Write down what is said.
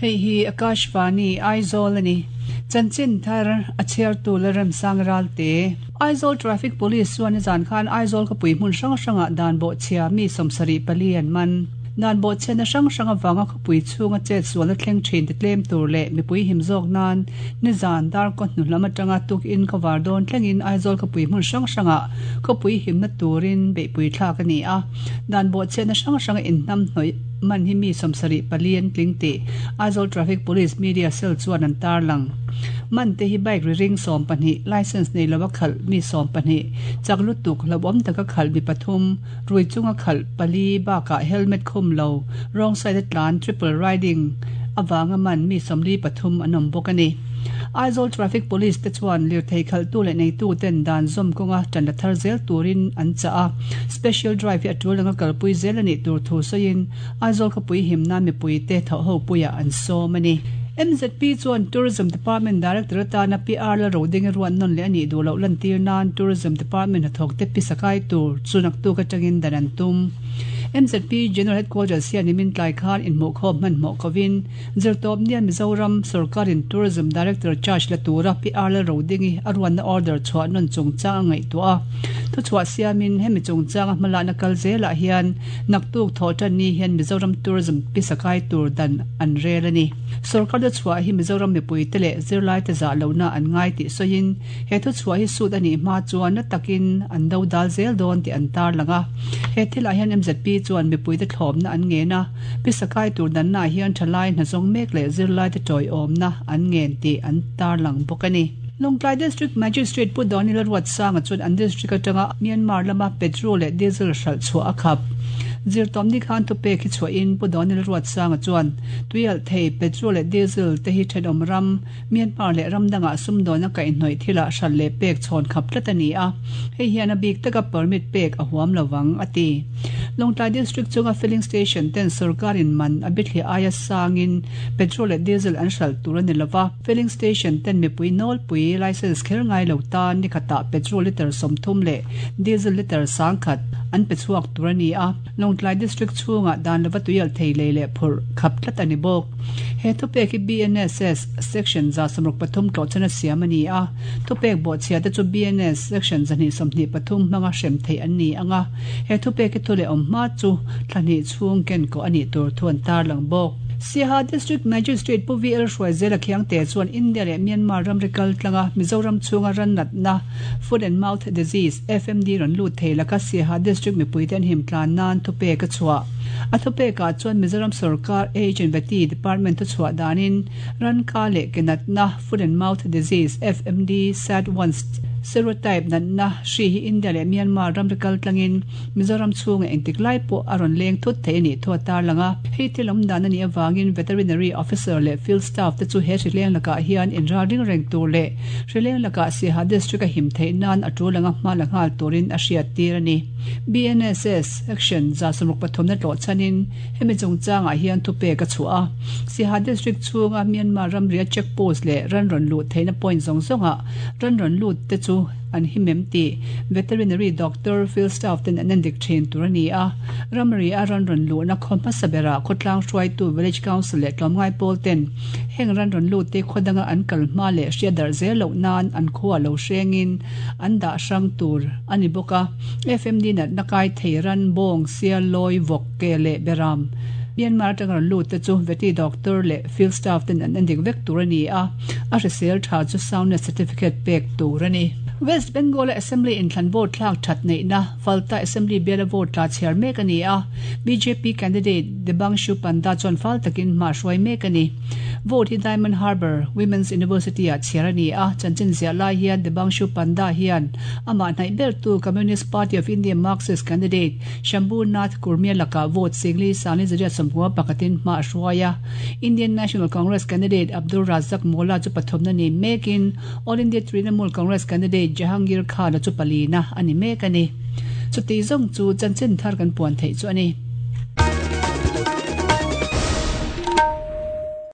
Hei hi Akashvani, Aizawl a ni. Chanchin thar a chhiartu Lalremsang Ralte. Aizawl Traffic Police chuan nizan khan Aizawl khawpui hmun hrang hrangah dan bawhchhia mi 74 an man. Dan bawhchhiatna hrang hrang avanga khawpui chhunga chet sualna thleng thin ti tlem tur leh mipui him zawk nan nizan darkaw hnu lam atanga tukin khawvar dawn thlengin Aizawl khawpui hmun hrang hrangah khawpui himna turin beihpui thlak a ni a. Dan bawhchhiatna hrang hranga inhnam hnawih man hi mi 74 an tling tih Aizawl Traffic Police Media Cell chuan an tarlang. Man te hi bike ri ring 12, licence nei lova khalh mi 12, chak lutuk hlauhawm taka khalh mi pathum, Rui chunga khalh pali bakah helmet khum lo, wrong side a tlan, triple riding, avanga man mi 43 an awm bawk a ni. Aizawl Traffic Police te chuan lirthei khalhtu leh neitu ten dan zawm kawnga tan la thar zel turin an chah a, special drive hi a tul anga kalpui zel a nih tur thu sawiin Aizawl khawpui him nan mipui te thawhhopuiah an sawm a ni. MZP chuan Tourism Department Director atana PR la roding a ruat nawn leh a nih duh loh lantir nan Tourism Department hnathawkte pisa kai tur chu naktuk atangin dan an tum. MZP General Headquarters hian nimin tlai khan inhmuhkhawm hmanhmawh kovin Zirtawpnia Mizoram sawrkarin Tourism Director charge la tura PR la rodingi a ruatna order chhuah nawn chungchang a ngaihtuah a. Thuchhuah siamin hemi chungchanga hmalakna kal zelah hian naktuk thawh tan ni hian Mizoram Tourism pisa kai tur dan an rel a ni. Sorkar thuchhuah hi Mizoram mipuite leh zirlaite zah lohna an ngai tih sawiin he thuchhuah hi sut a nih hma chuan na takin an do dal zel dawn tih an tarlang a. He thilah hian MZP chuan mipuite thlawmna an ngen a, pisa kai tur dannaah hian thalai hnazawng mek leh zirlaite tawiawmna an ngen tih an tarlang bawk a ni. Lawngtlai District Magistrate Pu Daniel Ruatsanga chuan an district atanga Myanmar lama petrol leh diesel hralh chhuah a khap. Zirtawmni khan thupek hi chhuahin Pu Daniel Ruatsanga chuan tuialh thei petrol leh diesel te hi thenawm ram Myanmar leh ram dangah sumdawn a kaihhnawih thilah hralh leh pek chhawn khap tlat a ni a, hei hian a bik taka permit pek a huam lovang, a ti. Lawngtlai District chunga filling station ten sorkarin man a bithliah aia sangin petrol leh diesel an hralh tur a ni lova, Filling station ten mipui nawlpui licence kher ngai lo tan ni khatah petrol litre 30 leh diesel litre 10,000 an pe chhuak tur a ni a, Lawngtlai District chhungah dan lova tuialh thei lei leh phurh khap tlat a ni bawk. He thupek hi BNSS Section 163 tlawhchhan a siam a ni a, thupek bawhchhia te chu BNS Section 223 hmanga hrem theih an ni ang a, he thupek hi thu leh awm hma chu thla hnih chhung ken kawh a nih tur thu an tarlang bawk. Siaha District Magistrate Pu VL Hruaizela Khiangte chuan India leh Myanmar ramri kal tlanga Mizoram chhunga ran natna, Foot and Mouth Disease, FMD, rawn lut thei laka Siaha District mipuite an him tlan nan thupek a chhuah. A thupekah chuan Mizoram sorkar Age and Vety Department thuchhuah danin ran ka leh ke natna, Foot and Mouth Disease, FMD, SAD-1 serotype natna hri hi India leh Myanmar ramri kal tlangin Mizoram chhunga engtik lai pawh a rawn leng thut thei a nih thu a tarlang a. Hei thil awm dan a nih avangin Veterinary Officer leh Field Staff te chu he hrileng lakah hian inral ring reng tur leh hrileng lakah Siaha District a him theih nan a tul anga hma la nghal turin a hriattir a ni. BNSS Section 63 na tlawh chhanin hemi chungchangah hian thupek a chhuah a. Siaha District chhunga Myanmar ramria Check Post leh ran rawn luh theihna point zawng zawngah ran rawn lut te chu an him em tih Veterinary Doctor, Field Staff ten an endik thin tur a ni a. Ramri a ran rawn luhna khaw hmasa berah khawtlang hruaitu Village Council leh tlawmngai pawl ten heng ran rawn lut te khaw danga an kal hma leh hriat darh zel loh nan an khua lo hrengin an dah hrang tur a ni bawk a. FMD natna kai thei ran, bawng, sial, lawi, vawk, ke leh beram Myanmar atanga rawn lut te chu Vety Doctor leh Field Staff ten an endik vek tur a ni a, a hrisel tha chu soundness certificate pek tur a ni. West Bengal-a Assembly inthlan vote thlak that neihna Falta Assembly biala vote tla chhiar mek a ni a, bjp candidate Debangshu Panda chuan fal takin hma hruai mek a ni. Vote hi Diamond Harbour Women's University-ah chhiar a ni a, chanchin ziah lai hian Debangshu Panda hian amah hnaih bertu Communist Party of India Marxist candidate Shambhu Nath Kurmia lakah vote singli sangli zariat sawmhua pakhatin hma a hruai a. Indian National Congress candidate Abdul Razak Molla chu pathumna ni mekin All India Trinamool Congress candidate Jahangir Khan-a chu palina a ni mek a ni. Chuti zawng chu chanchin thar kan puan theih chu a ni.